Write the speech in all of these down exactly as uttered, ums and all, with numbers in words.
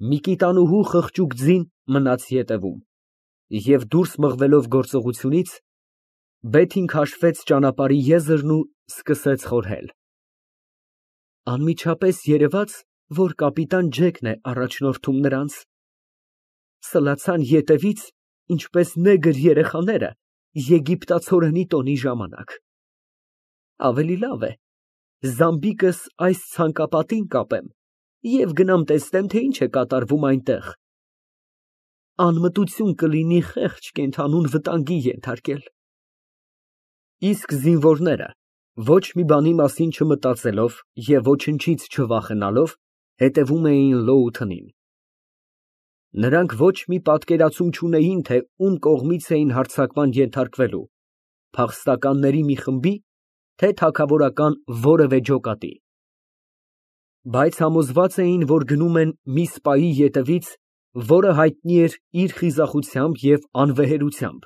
Մի կիտանուհու խղճուկ ձին մնաց ետևում, և դուրս մղվելով գործողությունից, բեթին քաշվեց ճանապարհի եզրն ու սկսեց խորհել. անմիջապես երևաց, որ կապիտան Ջեկն է առաջնորդում նրանց, սլացան ետևից, ինչպես նեգր երեխաները եգիպտացորենի տոնի ժամանակ, ավելի լավ է զամբիկս այս ցանկապատին կապեմ և գնամ տեսնեմ, թե ինչ է կատարվում այնտեղ, անմտություն կլինի խեղճ կենդանուն վտանգի ենթարկել։ Իսկ զինվորները, ոչ մի բանի մասին չմտածելով և ոչնչից չվախենալով, հետևում էին Լոութենին։ Նրանք ոչ մի պատկերացում չունեին, թե ում կողմից էին հարձակման ենթարկվելու, փախստականների մի խմբի, թե թագավորական որևէ ջոկատի, բայց համոզված էին, որ գնում են մի սպայի ետևից, որը հայտնի էր իր խիզախությամբ և անվեհերությամբ,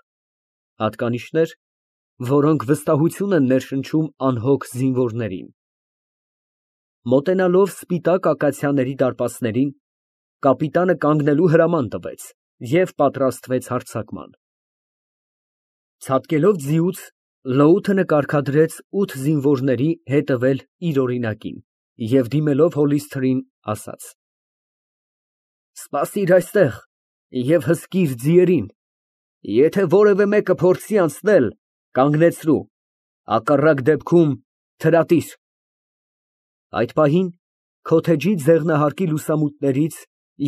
հատկանիշներ, որոնք վստահություն են ներշնչում անհոգ զինվորներին։ Մոտենալով սպիտակ ակացիաների դարպասներին, կապիտանը կանգնելու հրաման տվեց և պատրաստվեց հարձակման։ Ցատկելով ձիուց, Լոութենը կարգադրեց ութ զինվորների հետևել իր օրինակին և դիմելով Հոլիսթերին, ասաց. «Սպասիր այստեղ և հսկիր ձիերին, եթե որևէ մեկը փորձի անցնել, կանգնեցրու, հակառակ դեպքում թրատիր»։ Այդ պահին քոթեջի ձեղնահարկի լուսամուտներից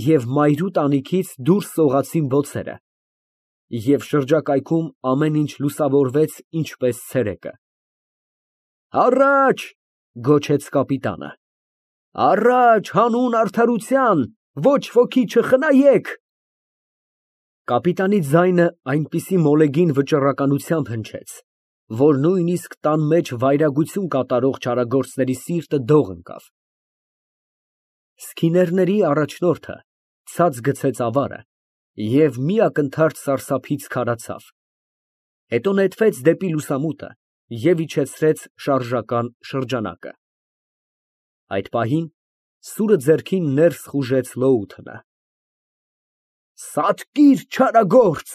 և մայրու տանիքից դուրս սողացին բոցերը, և շրջակայքում ամեն ինչ լուսավորվեց ինչպես ցերեկը։ «Առաջ», գոչեց կապիտանը, «առաջ հանուն արդարության, ոչ ոքի չխնայեք»։ Կապիտանի ձայնը այնպիսի մոլեգին վճռականությամբ հնչեց, որ նույնիսկ տան մեջ վայրագություն կատարող չարագործների սիրտը դող ընկավ։ Սքիներների առաջնորդը ցած գցեց ավարը և մի ակնթարթ սարսափից քարացավ, հետո նետվեց դեպի լուսամուտը և իջեցրեց շարժական շրջանակը։ Այդ պահին սուրը ձեռքին ներս խուժեց Լոութենը։ «Սատկիր, չարագործ»,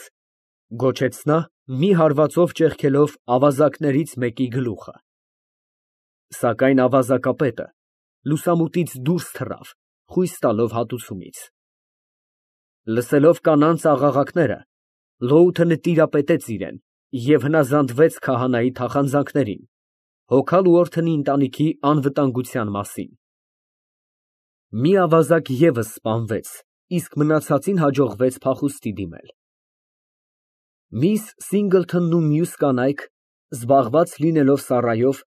գոչեց նա, մի հարվածով ճեղքելով ավազակներից մեկի գլուխը։ Սակայն ավազակապետը լուսամուտից դուրս թռավ, խույս տալով հատուցումից։ Լսելով կանանց աղաղակները, Լոութենը տիրապետեց իրան և հնազանդվեց քահանայի թախանձանքներին, հոգալ ուորթնի ընտանիքի անվտանգության մասին։ Մի ավազակ ևս սպանվեց, իսկ մնացածին հաջողվեց փախուստի դիմել։ Միս Սինգլթոնն ու մյուս կանայք, զբաղված լինելով սառայով,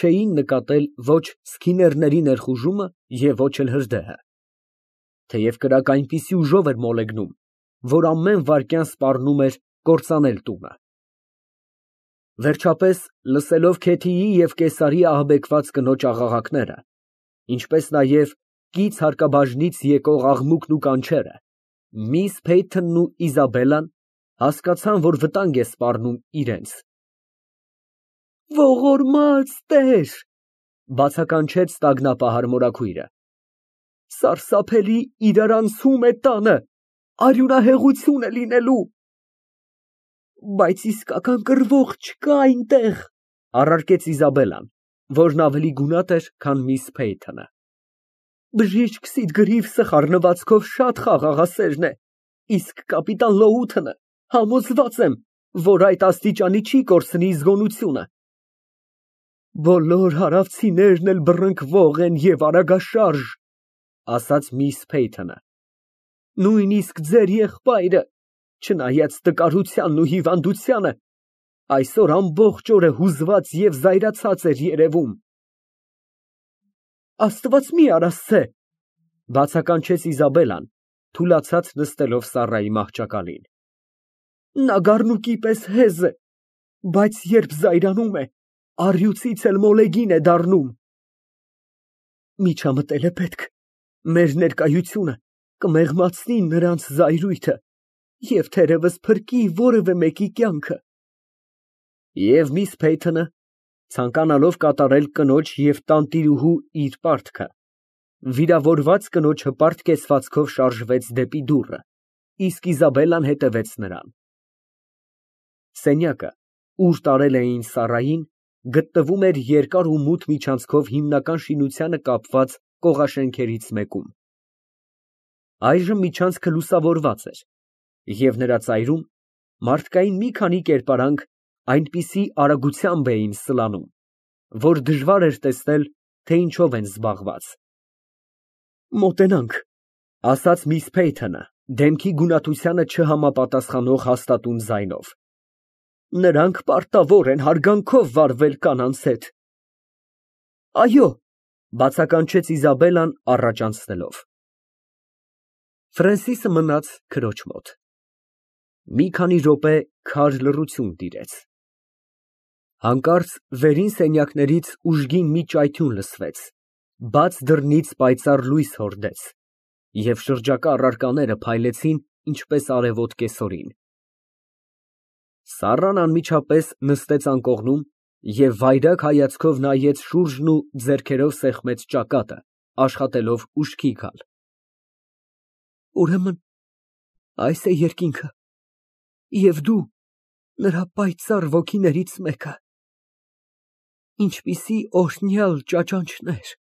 չէին նկատել ոչ սքիներների ներխուժումը և ոչ էլ հրդեհը, թեև կրակը այնպիսի ուժով էր մոլեգնում, որ ամեն վայրկյան սպառնում էր կործանել տունը։ Վերջապես, լսելով Քեթիի և Կեսարի ահաբեկված կնոջ աղաղակները, ինչպես նաև կից հարկաբաժնից եկող աղմուկն ու կանչերը, միս Փեյթոնն ու Իզաբելլան հասկացան, որ վտանգ է սպառնում իրենց։ «Ողորմած Տեր», բացականչեց տագնապահար մորաքույրը, «սարսափելի իրարանցում է տանը, արյունահեղություն է լինելու»։ «Բայց իսկական կռվող չկա այնտեղ», առարկեց Իզաբելլան, որն ավելի գունատ էր, քան միս Փեյթոնը։ «Բժիշկ Սիդգրիվսը խառնվածքով շատ խաղաղասերն է, իսկ կապիտան Լոութենը համոզված եմ, որ այդ աստիճանի չի կորցնի զգոնությունը»։ «Բոլոր հարավցիներն էլ բռնկվող են և արագաշարժ», ասաց միս Փեյթոնը, «նույնիսկ ձեր եղբայրը, չնայած տկարությանն ու հիվանդությանը, այսօր ամբողջ օրը հուզված և զայրացած էր երևում»։ «Աստված մի արասցե», բացականչեց Իզաբելլան, թուլացած նստելով սառայի մահճակալին, «նա գառնուկի պես հեզ է, բայց երբ զայրանում է, առյուծից էլ մոլեգին է դառնում»։ «Միջամտել է պետք, մեր ներկայությունը կմեղմացնի նրանց զայրույթը և թերևս փրկի որևէ մեկի կյանքը»։ Եվ միս Փեյթոնը, ցանկանալով կատարել կնոջ և տանտիրուհու իր պարտքը, Վիրավորված կնոջը պարտկեցվածքով շարժվեց դեպի դուռը, իսկ Իզաբելլան հետևեց նրան։ Սենյակը, ուր տարել էին Սառային, գտնվում էր երկար ու մութ միջանցքով հիմնական շինությանը կապված կողաշենքերից մեկում։ Այժմ միջանցքը լուսավորված էր, և նրա ծայրում մարդկային մի քանի կերպարանք այնպիսի արագությամբ էին սլանում, որ դժվար էր տեսնել, թե ինչով են զբաղված։ Մոտենանք, ֊ ասաց միս Փեյթոնը դեմքի գունատությանը չհամապատասխանող հաստատուն ձայնով։ Նրանք պարտավոր են հարգանքով վարվել կանանց հետ։ Այո, ֊ բացականչեց Իզաբելլան առաջ անցնելով։ Ֆրենսիսը մնաց քրոջ մոտ։ Մի քանի րոպե քար լռություն տիրեց։ Հանկարծ վերին սենյակներից ուժգին մի ճայթյուն լսվեց, բաց դռնից պայծառ լույս հորդեց, և շրջակա առարկաները փայլեցին, ինչպես արևոտ կեսօրին։ Սառան անմիջապես նստեց անկողնում և վայրագ հայացքով նայեց շուրջն ու ձեռքերով սեղմեց ճակատը, աշխատելով ուշքի գալ։ Ուրեմն այս է երկինքը, և դու նրա պայծառ ոգիներից մեկը։ Ինչպիսի օրհնյալ ճաճանչներ։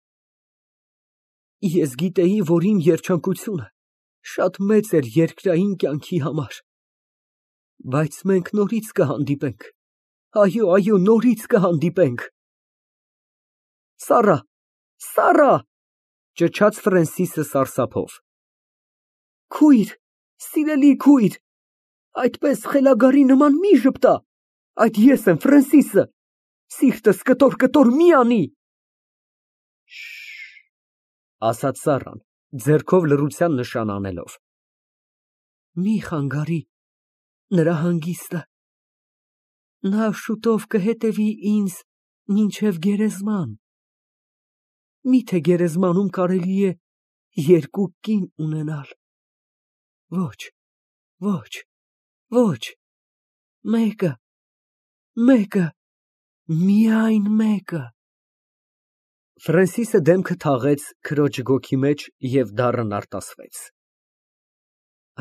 Ես գիտեի, որ իմ երջանկությունը շատ մեծ էր երկրային կյանքի համար, բայց մենք նորից կհանդիպենք, այո, այո, նորից կհանդիպենք։ Սառա, Սառա, ֊ ճչաց Ֆրենսիսը սարսափով։ Քույր, սիրելի քույր, այդպես խելագարի նման մի ժպտա, այդ ես եմ, Ֆրենսիսը, սիրտս կտոր֊կտոր մի անի։ Շշ, ֊ ասաց Սառան, ձեռքով լռության նշան անելով։ Մի խանգարի նրա հանգիստը, նա շուտով կհետևի ինձ մինչև գերեզման։ Միթե գերեզմանում կարելի է երկու կին ունենալ։ Ոչ, ոչ, ոչ, մեկը, մեկը, միայն մեկը։ Ֆրենսիսը դեմքը թաղեց քրոջ գոգի մեջ և դառն արտասվեց։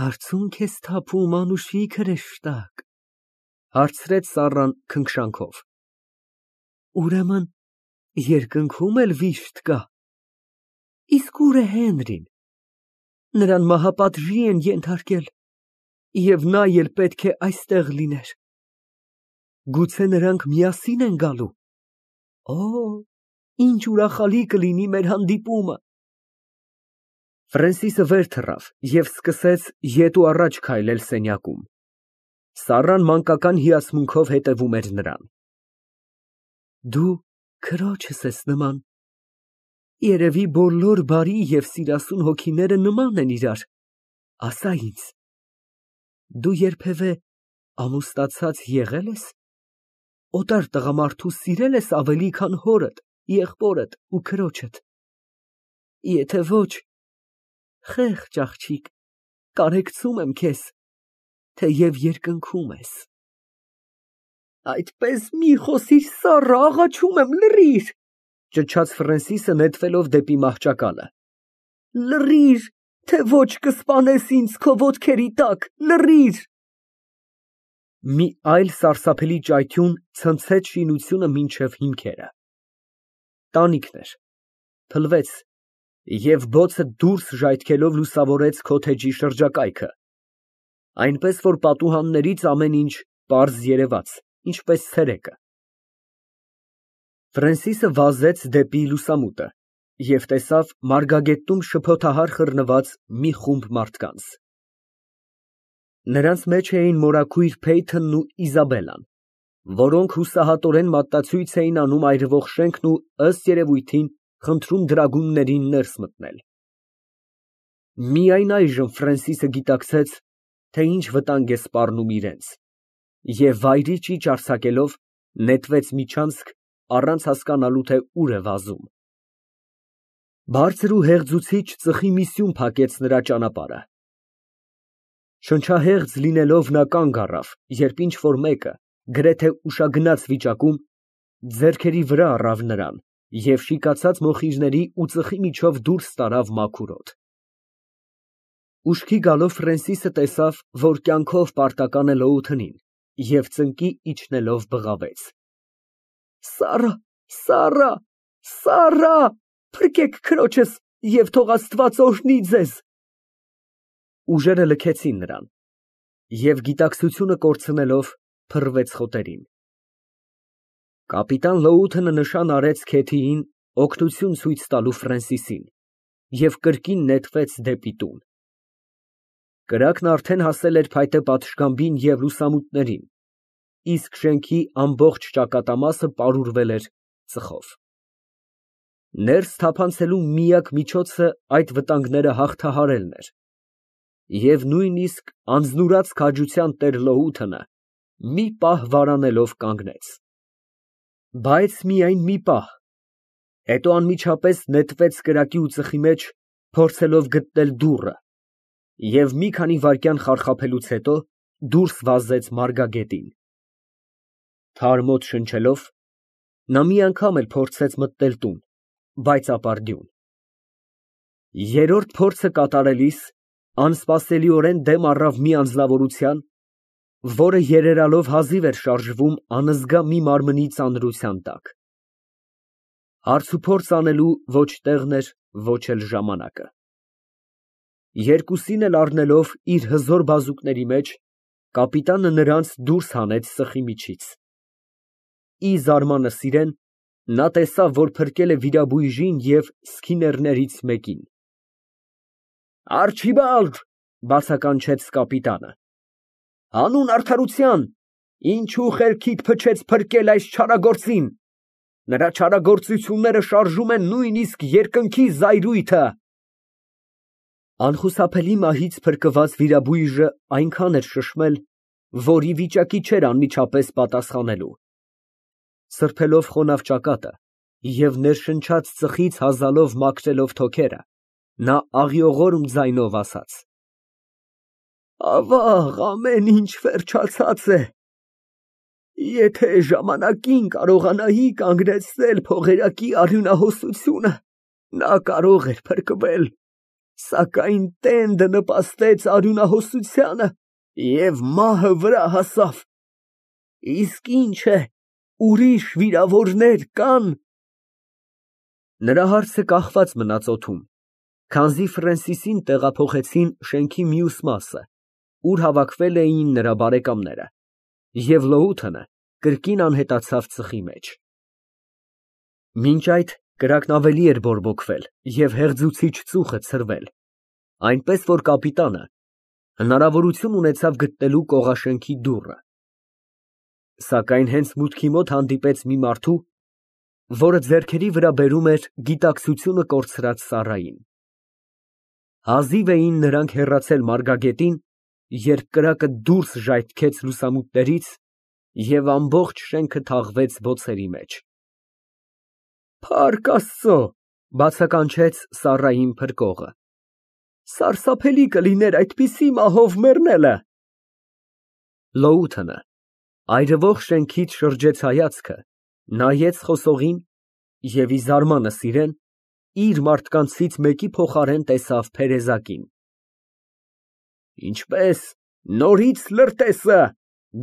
Արցունք ես թափում, անուշիկ հրեշտակ, ֊ հարցրեց Սառան քնքշանքով։ Ուրեմն երկնքում էլ վիշտ կա։ Իսկ ո՞ւր է Հենրին։ Նրան մահապատժի են ենթարկել, և նա էլ պետք է այստեղ լիներ։ Գուցե նրանք միասին են գալու։ Օ, ինչ ուրախալի կլինի մեր հանդիպումը։ Ֆրենսիսը վեր թռավ և սկսեց ետ ու առաջ քայլել սենյակում։ Սառան մանկական հիացմունքով հետևում էր նրան։ Դու քրոջս ես նման։ Երևի բոլոր բարի և սիրասուն հոգիները նման են իրար, ասա ինձ, դու երբևէ ամուսնացած եղե՞լ ես, օտար տղամարդու սիրե՞լ ես ավելի, քան հորդ, եղբորդ ու քրոջդ։ Եթե ոչ, խեղճ աղջիկ, կարեկցում եմ քեզ, թեև երկնքում ես։ Այդպես մի խոսիր, Սառա, աղաչում եմ, լռիր, ֊ ճչաց Ֆրենսիսը նետվելով դեպի մահճակալը։ Լռիր, թե ոչ կսպանես ինձ քո ոտքերի տակ, լռիր։ Մի այլ սարսափելի ճայթյուն ցնցեց շինությունը մինչև հիմքերը։ Տանիքն էր, փլվեց, և բոցը դուրս ժայթքելով լուսավորեց քոթեջի շրջակայքը, այնպես որ պատուհաններից ամեն ինչ պարզ երևաց, ինչպես ցերեկը։ Ֆրենսիսը վազեց դեպի լուսամուտը և տեսավ մարգագետնում շփոթահար խռնված մի խումբ մարդկանց։ Նրանց մեջ էին մորաքույր Փեյթոնն ու Իզաբելլան, որոնք հուսահատորեն մատնացույց էին անում այրվող շենքն ու, ըստ երևույթին, խնդրում դրագուններին ներս մտնել։ Միայն այժմ Ֆրենսիսը գիտակցեց, թե ինչ վտանգ է սպառնում իրենց, և վայրի ճիճ արձակելով, նետվեց միջանցք, առանց հասկանալու, թե ուր է վազում։ Բարձր ու հեղձուցիչ ծխի մի սյուն փակեց նրա ճանապարհը։ Շնչահեղձ լինելով նա կանգ առավ, երբ ինչ֊որ մեկը, գրեթե ուշագնաց վիճակում, ձեռքերի վրա առավ նրան և շիկացած մոխիրների ու ծխի միջով դուրս տարավ մաքուր օդ։ Ուշքի գալով Ֆրենսիսը տեսավ, որ կյանքով պարտական է Լոութընին և ծնկի իջնելով բղավեց. Սառա, Սառա, Սառա, փրկեք քրոջս և թող Աստված օրհնի ձեզ։ Ուժերը լքեցին նրան, և գիտակցությունը կորցնելով փռվեց խոտերին։ Կապիտան Լոութընը նշան արեց Քեթիին օգնություն ցույց տալու Ֆրենսիսին և կրկին նետվեց դեպի տուն։ Կրակն արդեն հասել էր փայտե պատշգամբին և լուսամուտներին, իսկ շենքի ամբողջ ճակատամասը պարուրվել էր ծխով։ Ներս թափանցելու միակ միջոցը այդ վտանգները հաղթահարելն էր, և նույնիսկ անձնուրաց քաջության տեր Լոութընը մի պահ վարանելով կանգնեց։ Բայց միայն մի պահ, հետո անմիջապես նետվեց կրակի ու ծխի մեջ, փորձելով գտնել դուռը, և մի քանի վայրկյան խարխափելուց հետո դուրս վազեց մարգագետին։ Թարմ օդ շնչելով, նա մի անգամ էլ փորձեց մտնել տուն, բայց ապարդյուն։ Երրորդ փորձը կատարելիս անսպասելիորեն դեմ առավ մի անձնավորության, որը երերալով հազիվ էր շարժվում անզգա մի մարմնի ծանրության տակ։ Հարցուփորձ անելու ոչ տեղն էր, ոչ էլ ժամանակը։ Երկուսին էլ առնելով իր հզոր բազուկների մեջ, կապիտանը նրանց դուրս հանեց ծխի միջից։ Ի զարմանս իրեն, նա տեսավ, որ փրկել է վիրաբույժին և սքիներներից մեկին։ Արջիբալդ, բացականչեց կապիտանը, հանուն արդարության, ինչու խելքիդ փչեց փրկել այս չարագործին, նրա չարագործությունները շարժում են նույնիսկ երկնքի զայրույթը։ Անխուսափելի մահից փրկված վիրաբույժը այնքան էր շշմել, որ ի վիճակի չէր անմիջապես պատասխանելու։ Սրբելով խոնավ ճակատը և ներշնչած ծխից հազալով մաքրելով թոքերը, նա աղիողորմ ձայնով ասաց. Ավաղ, ամեն ինչ վերջացած է։ Եթե ժամանակին կարողանայի կանգնեցնել փողերակի արյունահոսությունը, նա կարող էր փրկվել, սակայն տենդը նպաստեց արյունահոսությանը և մահը վրա հասավ։ Իսկ ինչ է, ուրիշ վիրավորներ կա՞ն։ Նրա հարցը կախված մնաց օդում, քանզի Ֆրենսիսին տեղափոխեցին շենքի մյուս մասը, ուր հավաքվել էին նրա բարեկամները, և Լոութընը կրկին անհետացավ ծխի մեջ։ Մինչ այդ կրակն ավելի էր բորբոքվել և հեղձուցիչ ծուխը ցրվել, այնպես որ կապիտանը հնարավորություն ունեցավ գտնելու կողաշենքի դուռը։ Սակայն հենց մուտքի մոտ հանդիպեց մի մարդու, որը ձեռքերի վրա բերում էր գիտակցությունը կորցրած Սառային։ Հազիվ էին նրանք հեռացել մարգագետին, երբ կրակը դուրս ժայթքեց լուսամուտներից և ամբողջ շենքը թաղվեց բոցերի մեջ։ Փառք Աստծո, բացականչեց Սառային փրկողը, սարսափելի կլիներ այդպիսի մահով մեռնելը։ Լոութընը այրվող շենքից շրջեց հայացքը, նայեց խոսողին և ի զարմանս իրեն իր մարդկանցից մեկի փոխարեն տեսավ փերեզակին։ Ինչպե՞ս, նորից լրտեսը,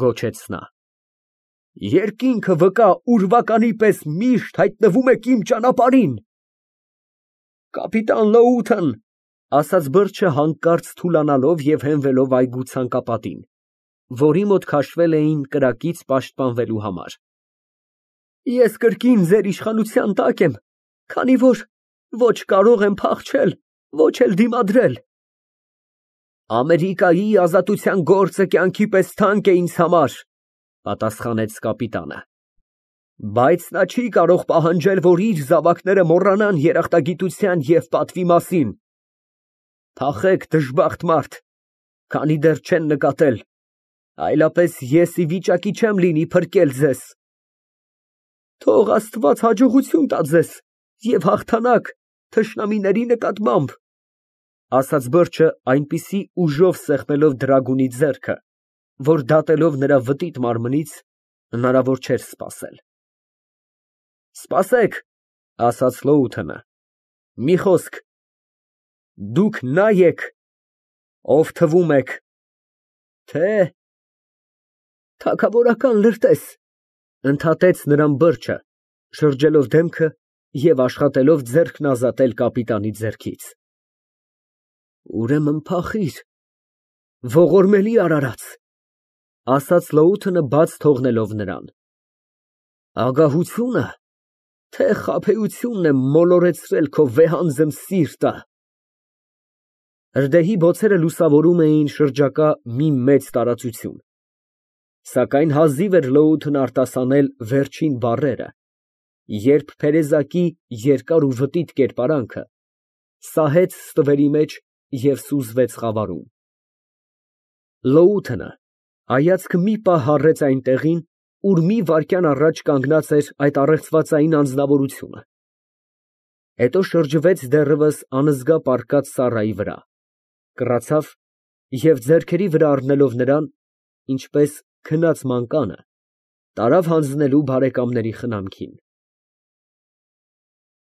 գոչեց նա։ Երկինքը վկա ուրվականի պես միշտ հայտնվում եք իմ ճանապարհին։ Կապիտան Լոութեն, ասաց բրդը հանկարծ թուլանալով և հենվելով այգու ցանկապատին, որի մոտ քաշվել էին կրակից պաշտպանվելու համար։ Ես կրկին ձեր իշխանության տակ եմ, քանի որ ոչ կարող եմ փախչել, ոչ էլ դիմադրել։ Ամերիկայի ազատության գործը կյանքի պես թանկ է ինձ համար, պատասխանեց կապիտանը, բայց նա չի կարող պահանջել, որ իր զավակները մոռանան երախտագիտության և պատվի մասին։ Փախեք, դժբախտ մարդ, քանի դեռ չեն նկատել, այլապես ես ի վիճակի չեմ լինի փրկել ձեզ։ Թող Աստված հաջողություն տա ձեզ և հաղթանակ թշնամիների նկատմամբ, ասաց բրդը այնպիսի ուժով սեղմելով դրագունի ձեռքը, որ դատելով նրա վտիտ մարմնից հնարավոր չէր սպասել։ Սպասեք, ասաց Լոութենը, մի խոսք, դուք նա եք, ով թվում եք, թե… Թագավորական լրտես, ընդհատեց նրան բրջը, շրջելով դեմքը և աշխատելով ձեռքն ազատել կապիտանի ձեռքից։ Ուրեմն փախիր, ողորմելի արարած, ասաց Լոութենը բաց թողնելով նրան։ Ագահությո՞ւնը, թե խաբեությունն է մոլորեցրել քո վեհանձն սիրտը։ Հրդեհի բոցերը լուսավորում էին շրջակա մի մեծ տարածություն, սակայն հազիվ էր Լոութն արտասանել վերջին բառերը, երբ փերեզակի երկար ու վտիտ կերպարանքը սահեց ստվերի մեջ և սուզվեց խավարում։ Լոութենը հայացքը մի պահ հառեց այն տեղին, ուր մի վայրկյան առաջ կանգնած էր այդ առեղծվածային անձնավորությունը, հետո շրջվեց դեռևս անզգա պառկած Սառայի վրա, կռացավ և ձեռքերի վրա առնելով նրան, ինչպես քնած մանկանը, տարավ հանձնելու բարեկամների խնամքին։